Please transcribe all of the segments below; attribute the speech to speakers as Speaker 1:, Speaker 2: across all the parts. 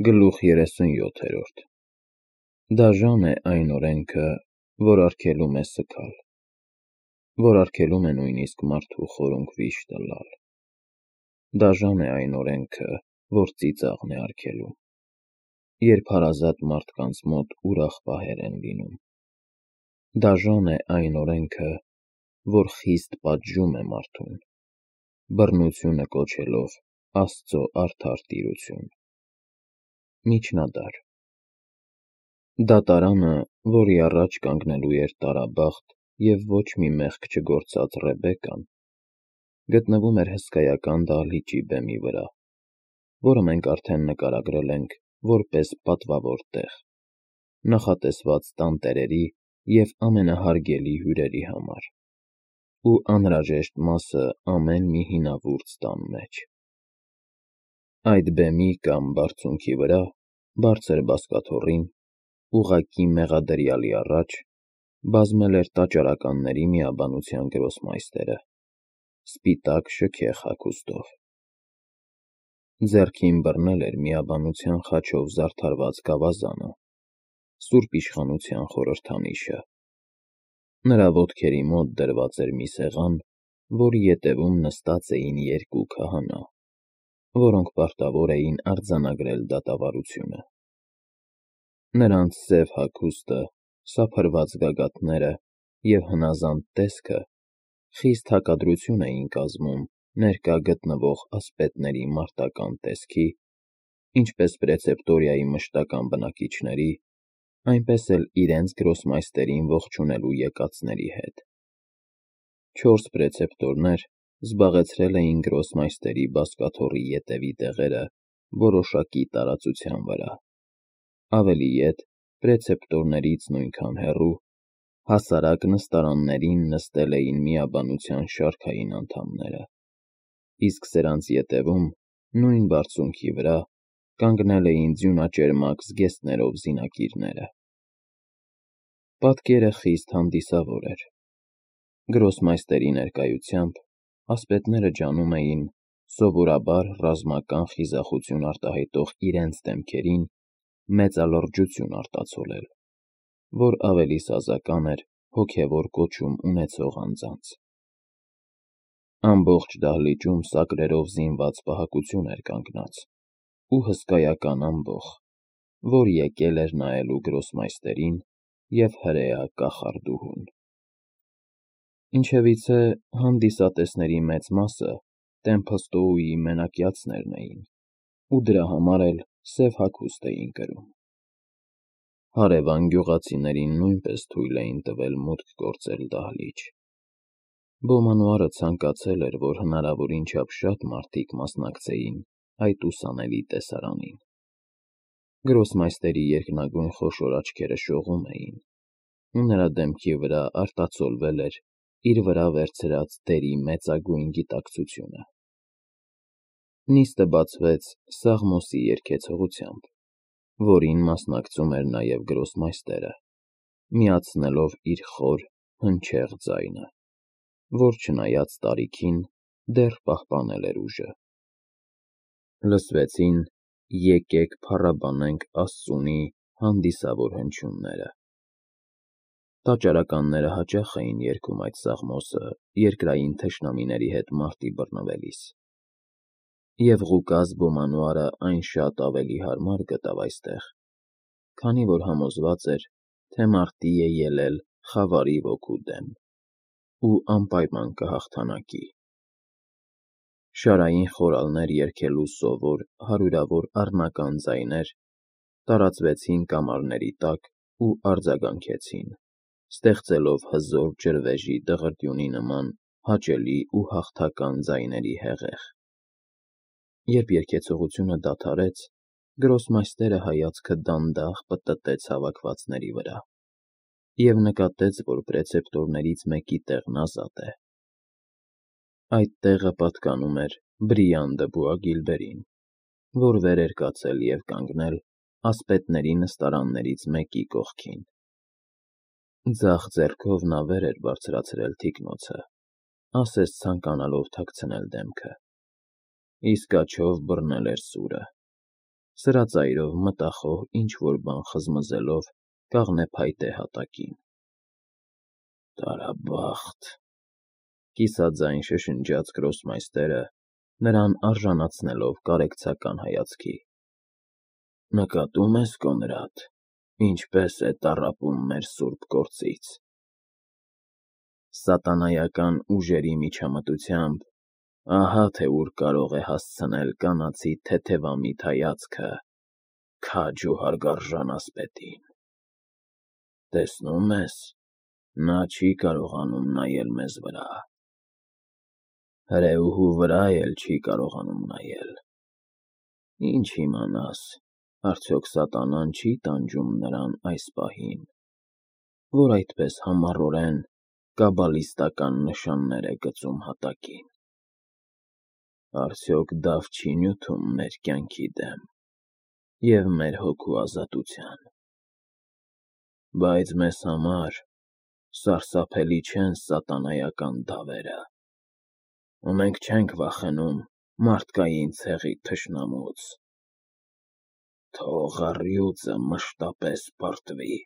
Speaker 1: Գլուխ 37 Դաժան է այն օրենքը, որ արգելում է սգալ, որ արգելում է նույնիսկ մարդու խորունկ վիշ տլալ. Դաժան է այն օրենքը, որ ծիծաղն է արգելում, երբ հարազատ մարդկանց մոտ ուրախ պահեր են լինում. Դաժան է այն օրենքը, որ խիստ պատժում է մարդուն, բռնությունը կոչելով Աստծո արդար տիրություն. Միջնադար Դատարանը, որի առաջ կանգնելու էր տարաբախտ և ոչ մի մեղք չգործած Ռեբեկան, գտնվում էր հսկայական դահլիճի բեմի վրա, որը մենք արդեն նկարագրել ենք որպես պատվավոր տեղ, նախատեսված տանտերերի և ամենահարգելի հյուրերի համար, ու անհրաժեշտ մասը ամեն մի հինավուրց տան մեջ: Այդ բեմի կամ բարձունքի վրա, բարձր բազկաթոռին, ուղղակի մեղադրյալի առաջ, բազմել էր տաճարականների միաբանության գրոսմայստերը, սպիտակ շքեղ հագուստով: Ձեռքին բռնել էր միաբանության խաչով զարդարված գավազանը, Սուրբ Իշխանության խորհրդանիշը: Նրա ոտքերի մոտ դրված էր մի սեղան, որի ետևում նստած էին երկու քահանա, որոնք պարտավոր էին արձանագրել դատավարությունը: Նրանց սև հագուստը, սափրված գագաթները և հնազանդ տեսքը խիստ հակադրություն էին կազմում ներկա գտնվող ասպետների մարտական տեսքի, ինչպես պրեցեպտորիայի մշտական բնակիչների, այնպես էլ իրենց գրոսմայստերին ողջունելու եկածների հետ: 4 պրեցեպտորներ զբաղեցրել էին գրոսմայստերի բազկաթոռի ետևի տեղերը որոշակի տարածության վրա, ավելի ետ պրեցեպտորներից նույնքան հեռու, հասարակ նստարաններին նստել էին միաբանության շարքային անդամները, իսկ սրանց ետևում, նույն բարձունքի վրա, կանգնել էին ձյունաճերմակ զգեստներով զինակիրները: Պատկերը խիստ հանդիսավոր էր: Գրոսմայստերի ներկայությամբ ասպետները ջանում էին սովորաբար ռազմական խիզախություն արտահայտող իրենց դեմքերին մեծալրջություն արտացոլել, որ ավելի սազական էր հոգևոր կոչում ունեցող անձանց: Ամբողջ դահլիճում սակրերով զինված պահակություն էր կանգնած ու հսկայական ամբոխ, որ եկել էր նայելու գրոսմայստերին և հրեա կախարդուհուն: Ինչևիցե, հանդիսատեսների մեծ մասը Տեմփլստոուի մենակյացներն էին ու դրա համար էլ սև հագուստ էին կրում: Հարևան գյուղացիներին նույնպես թույլ էին տվել մուտք գործել դահլիճ: Բոմանոարը ցանկացել էր, որ հնարավորին չափ շատ մարդիկ մասնակցեին այդ ուսանելի տեսարանին: Գրոսմայստերի երկնագույն խոշոր աչքերը շողում էին, ու նրա դեմքի վրա արտացոլվել էր իր վրա վերցրած դերի մեծագույն գիտակցությունը: Նիստը բացվեց Սաղմոսի երգեցողությամբ, որին մասնակցում էր նաև գրոսմայստերը, միացնելով իր խոր, հնչեղ ձայնը, որ չնայած տարիքին, դեռ պահպանել էր ուժը: Լսվեցին «Եկեք փառաբանենք Աստծունի» հանդիսավոր հնչյունները: Տաճարականները հաճախ էին երգում այդ սաղմոսը երկրային թշնամիների հետ մարտի բռնվելիս: Եվ Ղուկաս Բոմանոարը այն շատ ավելի հարմար գտավ այստեղ, քանի որ համոզված էր, թե մարտի է ելել խավարի ոգու դեմ ու անպայման կհաղթանակի: Շարային խորալներ երգելու սովոր հարյուրավոր առնական ձայներ տարածվեցին կամարների տակ ու արձագանքեցին, ստեղծելով հզոր ջրվեժի դղրդյունի նման հաճելի ու հաղթական ձայների հեղեղ: Երբ երգեցողությունը դադարեց, գրոսմայստերը հայացքը դանդաղ պտտեց հավաքվածների վրա և նկատեց, որ պրեցեպտորներից մեկի տեղն ազատ է: Այդ տեղը պատկանում էր Բրիան դը Բուագիլբերին, որ վեր էր կացել և կանգնել ասպետների նստարաններից մեկի կողքին: Ձախ ձեռքով նա վեր էր բարձրացրել թիկնոցը, ասես ցանկանալով թաքցնել դեմքը, իսկ աջով բռնել էր սուրը: Սրածայրով մտախոհ ինչ-որ բան խզմզելով կաղնե փայտե հատակին։ Տարաբախտ, կիսաձայն շշնջաց գրոսմայստերը, նրան արժանացնելով կարեկցական հայացքի։ Նկատում ես, Կոնրադ, ինչպես է տառապում մեր սուրբ գործից։ Սատանայական ուժերի միջամտությամբ ահա թե ուր կարող է հասցնել կանացի թեթևամիտ հայացքը քաջ ու հարգարժան ասպետին։ Տեսնում ես, նա չի կարողանում նայել մեզ վրա։ Հրեուհու վրա էլ չի կարողանում նայել։ Ինչ իմանաս, արդյոք սատանան չի տանջում նրան այս պահին, որ այդպես համառորեն կաբալիստական նշաններ է գծում հատակին։ Արդյոք դավ չի նյութում մեր կյանքի դեմ և մեր հոգու ազատության։ Բայց մեզ համար սարսափելի չեն սատանայական դավերը, ու մենք չենք վախենում մարդկային ցեղի թշնամուց։ Թող առյուծը մշտապես պարտվի։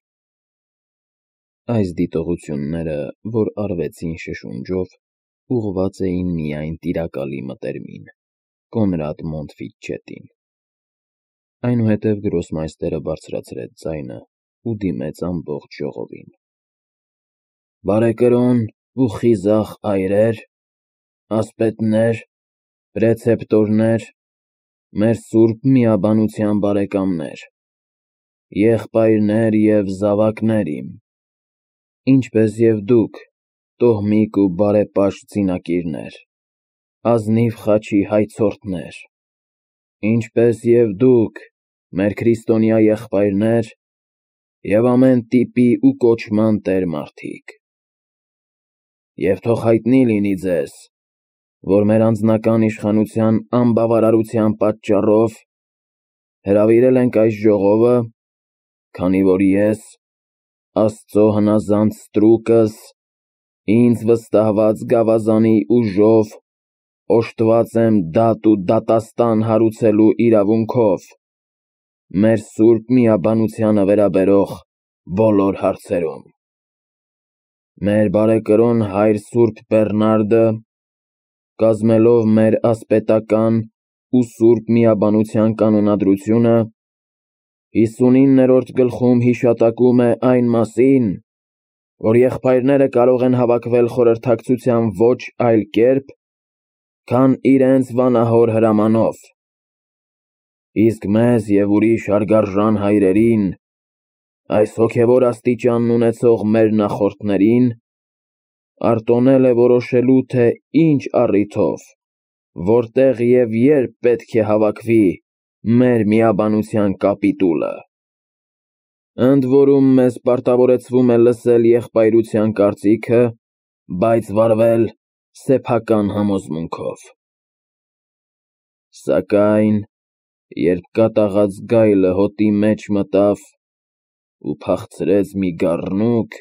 Speaker 1: Այս դիտողությունները, որ արվեցին շշունջով, ուղղված էին միայն տիրակալի մտերմին, Կոնրադ Մոնտֆիչետին։ Այնուհետև գրոսմայստերը բարձրացրեց ձայնը ու դիմեց ամբողջ ժողովին։ Բարեկրոն ու խիզախ այրեր, ասպետներ, պրեցեպտորներ, մեր սուրբ միաբանության բարեկամներ, եղբայրներ և զավակներ իմ, ինչպես և դուք, տոհմիկ ու բարեպաշտ զինակիրներ, ազնիվ խաչի հայցորդներ, ինչպես և դուք, մեր քրիստոնյա եղբայրներ և ամեն տիպի ու կոչման տեր-մարդիկ։ Եվ թող հայտնի լինի ձեզ, որ մեր անձնական իշխանության անբավարարության պատճառով հրավիրել ենք այս ժողովը, քանի որ ես, Աստծո հնազանդ ստրուկս, ինձ վստահված գավազանի ուժով օժտված եմ դատ ու դատաստան հարուցելու իրավունքով մեր սուրբ միաբանությանը վերաբերող բոլոր հարցերում։ Մեր բարեկրոն հայր սուրբ Բեռնարդը, կազմելով մեր ասպետական ու սուրբ միաբանության կանոնադրությունը, 59-րդ գլխում հիշատակում է այն մասին, որ եղբայրները կարող են հավաքվել խորհրդակցության ոչ այլ կերպ, քան իրենց վանահոր հրամանով, իսկ մեզ և ուրիշ հարգարժան հայրերին, այս հոգևոր աստիճանն ունեցող մեր նախորդներին, արտոնել է որոշելու, թե ինչ առիթով, որտեղ և երբ պետք է հավաքվի մեր միաբանության կապիտուլը։ Ընդ որում մեզ պարտավորեցվում է լսել եղբայրության կարծիքը, բայց վարվել սեփական համոզմունքով։ Սակայն, երբ կատաղած գայլը հոտի մեջ մտավ ու փախցրեց մի գառնուկ,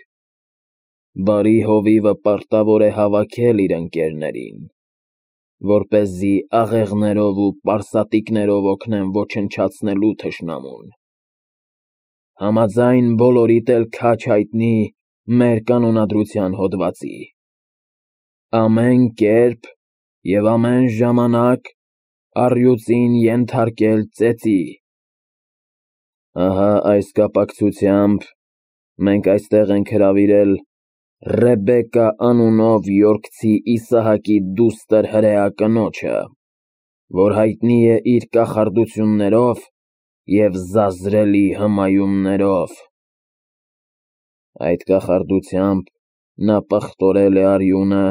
Speaker 1: բարի հովիվը պարտավոր է հավաքել իր ընկերներին, որպեսզի աղեղներով ու պարսատիկներով օգնեն ոչնչացնելու թշնամուն։ Համաձայն բոլորիդ էլ քաջ հայտնի մեր կանոնադրության հոդվածի։ Ամեն կերպ և ամեն ժամանակ առյուծին ենթարկել ծեծի։ Ահա այս կապակցությամբ մենք այստեղ ենք հրավիրել Ռեբեկա անունով Յորքցի Իսահակի դուստր հրեա կնոջը, որ հայտնի է իր կախարդություններով և զազրելի հմայումներով։ Այդ կախարդությամբ նա պղտորել է արյունը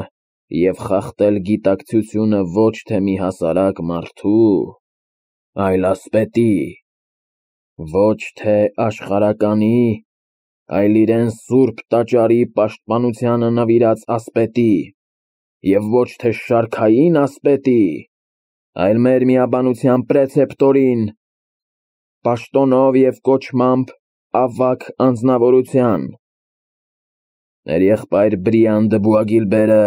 Speaker 1: և խախտել գիտակցությունը ոչ թե մի հասարակ մարդու, այլ ասպետի, ոչ թե աշխարհականի, այլ իրեն սուրբ տաճարի պաշտպանությանը նվիրած ասպետի, և ոչ թե շարքային ասպետի, այլ մեր միաբանության պրեցեպտորին, պաշտոնով և կոչմամբ ավագ անձնավորության, մեր եղբայր Բրիան դը Բուագիլբերը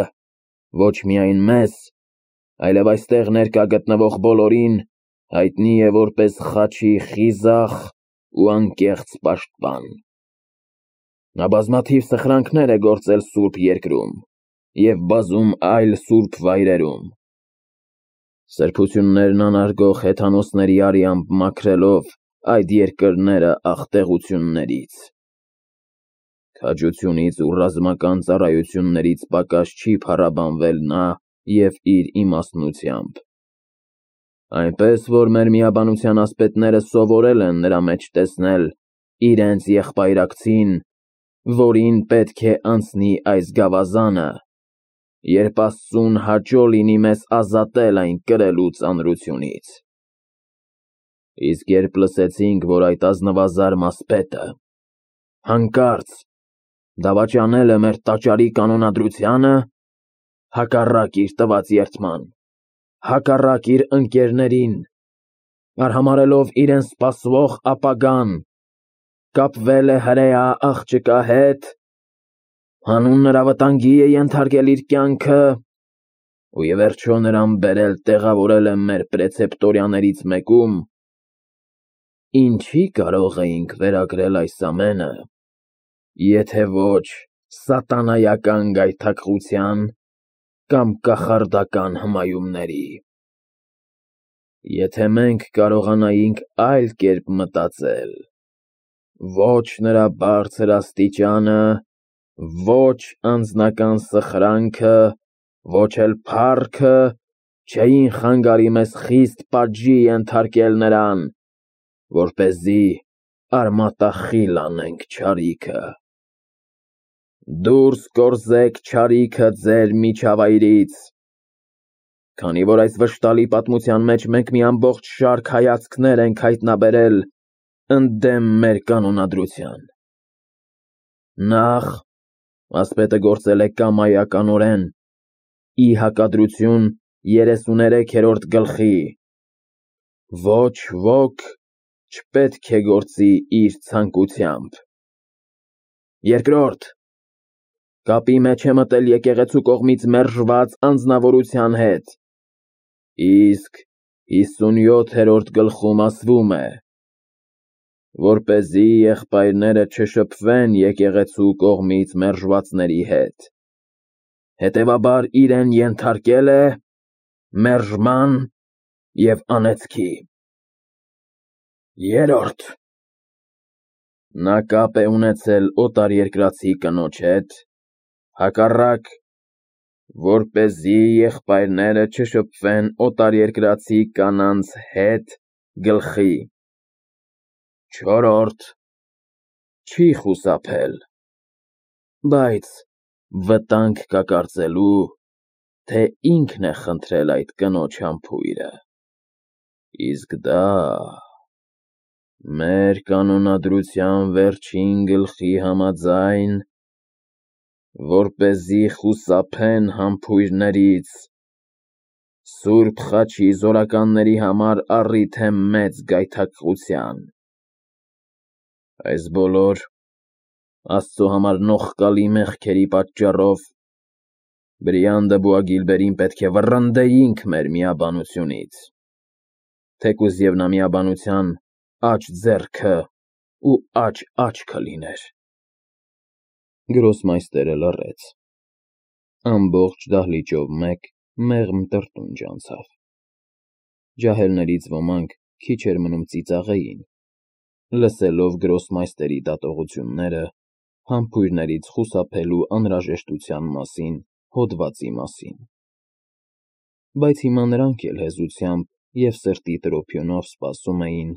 Speaker 1: ոչ միայն մեզ, այլև այստեղ ներկա գտնվող բոլորին հայտնի է որպես խաչի խիզախ ու անկեղծ պաշտպան։ Նա բազմաթիվ սխրանքներ է գործել սուրբ երկրում և բազում այլ սուրբ վայրերում, սրբություններն անարգող հեթանոսների արյամբ մաքրելով այդ երկրները աղտեղություններից։ Քաջությունից ու ռազմական ծառայություններից պակաս չի փառաբանվել նա և իր իմաստնությամբ, այնպես որ մեր միաբանության ասպետները սովորել են նրա մեջ տեսնել իրենց եղբայրակցին, որին պետք է անցնի այս գավազանը, երբ Աստծուն հաճո լինի մեզ ազատել այն կրելու ծանրությունից։ Իսկ երբ լսեցինք, որ այդ ազնվազարմ ասպետը հանկարծ դավաճանել է մեր տաճարի կանոնադրությանը, հակառակ իր տված երդման, հակառակ իր ընկերներին, արհամարհելով իրեն սպասվող ապագան, կապվել է հրեա աղջկա հետ, հանուն նրա վտանգի է ենթարկել իր կյանքը ու ի վերջո նրան բերել տեղավորել է մեր պրեցեպտորյաներից մեկում, ինչի՞ կարող էինք վերագրել այս ամենը, եթե ոչ սատանայական գայթակղության կամ կախարդական հմայումների։ Եթե մենք կարողանայինք այլ կերպ մտածել, ոչ նրա բարձր աստիճանը, ոչ անձնական սխրանքը, ոչ էլ փառքը չէին խանգարի մեզ խիստ պատժի ենթարկել նրան, որպեսզի արմատախիլ անենք չարիքը։ Դուրս կորզեք չարիքը ձեր միջավայրից, քանի որ այս վշտալի պատմության մեջ մենք մի ամբողջ շարք հայացքներ ենք հայտնաբերել ընդդեմ մեր կանոնադրության։ Նախ, ասպետը գործել է կամայականորեն, ի հակադրություն 33-րդ գլխի, ոչ ոք չպետք է գործի իր ցանկությամբ։ Երկրորդ, կապի մեջ է մտել եկեղեցու կողմից մերժված անձնավորության հետ, իսկ 57-րդ գլխում ասվում է, որպեսզի եղբայրները չշփվեն եկեղեցու կողմից մերժվածների հետ, հետևաբար իրեն ենթարկել է մերժման և անեծքի։ Երրորդ, նա կապ է ունեցել օտարերկրացի կնոջ հետ, հակառակ, որպեսզի եղբայրները չշփվեն օտարերկրացի կանանց հետ գլխի։ Չորրորդ, չի խուսափել, բայց վտանգ կա կարծելու, թե ինքն է խնդրել այդ կնոջ համբույրը, իսկ դա մեր կանոնադրության վերջին գլխի համաձայն, որպեսզի խուսափեն համբույրներից, սուրբ խաչի զորականների համար առիթ է մեծ գայթակղության։ Այս բոլոր Աստծո համար նողկալի մեղքերի պատճառով Բրիանդը Բուագիլբերին պետք է վռնդեինք մեր միաբանությունից, թեկուզ և նա միաբանության աջ ձեռքը ու աջ աչքը լիներ։ Գրոսմայստերը լռեց, ամբողջ դահլիճով մեկ մեղմ տրտունջ անցավ, ջահելներից ոմանք քիչ էր մնում ծիծաղեին, լսելով գրոսմայստերի դատողությունները համբույրներից խուսափելու անհրաժեշտության մասին հոդվածի մասին, բայց հիմա նրանք էլ հեզությամբ և սրտի տրոփյունով սպասում էին,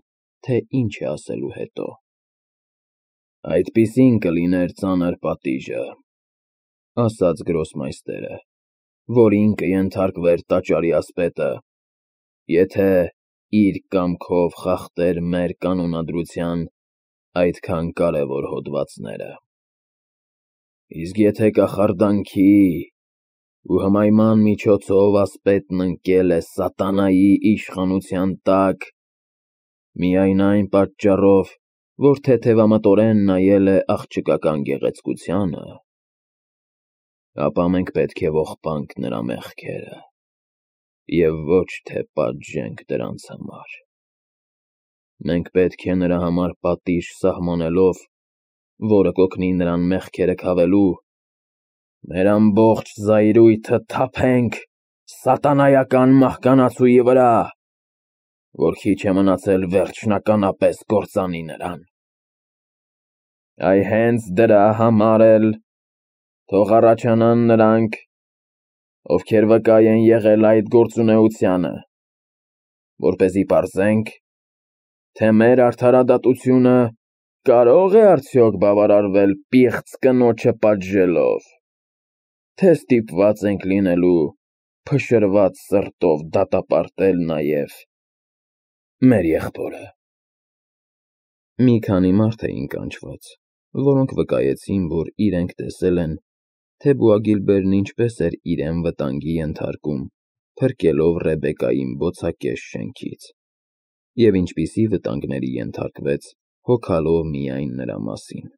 Speaker 1: թե ինչ է ասելու հետո։ Այդպիսին կլիներ ծանր պատիժը, ասաց գրոսմայստերը, որին կենթարկվեր տաճարի ասպետը, եթե իր կամքով խախտեր մեր կանոնադրության այդքան կարևոր հոդվածները։ Իսկ եթե կախարդանքի ու հմայման միջոցով ասպետն ընկել է սատանայի իշխանության տակ, միայն այն պատճառով, որ թեթևամտորեն նայել է աղջկական գեղեցկությանը, ապա մենք պետք է ողբանք նրա մեղքերը և ոչ թե պատժենք դրանց համար։ Մենք պետք է նրա համար պատիժ սահմանելով, որը կօգնի նրան մեղքերը քավելու, մեր ամբողջ զայրույթը թափենք սատանայական մահկանացուի վրա, որ քիչ է մնացել վերջնականապես կործանի նրան։ Այ հենց դրա համար էլ թող առաջանան նրանք, ովքեր վկա են եղել այդ գործունեությանը, որպեսզի պարզենք, թե մեր արդարադատությունը կարո՞ղ է արդյոք բավարարվել պիղծ կնոջը պատժելով, թե ստիպված ենք լինելու փշրված սրտով դատապարտել նաև մեր եղբորը։ Մի քանի մարդ էին կանչված, որոնք վկայեցին, որ իրենք տեսել են, թե Բուագիլբերն ինչպես էր իրեն վտանգի ենթարկում, փրկելով Ռեբեկային բոցակես շենքից, և ինչպիսի վտանգների ենթարկվեց, հոգալով միայն նրա մասին։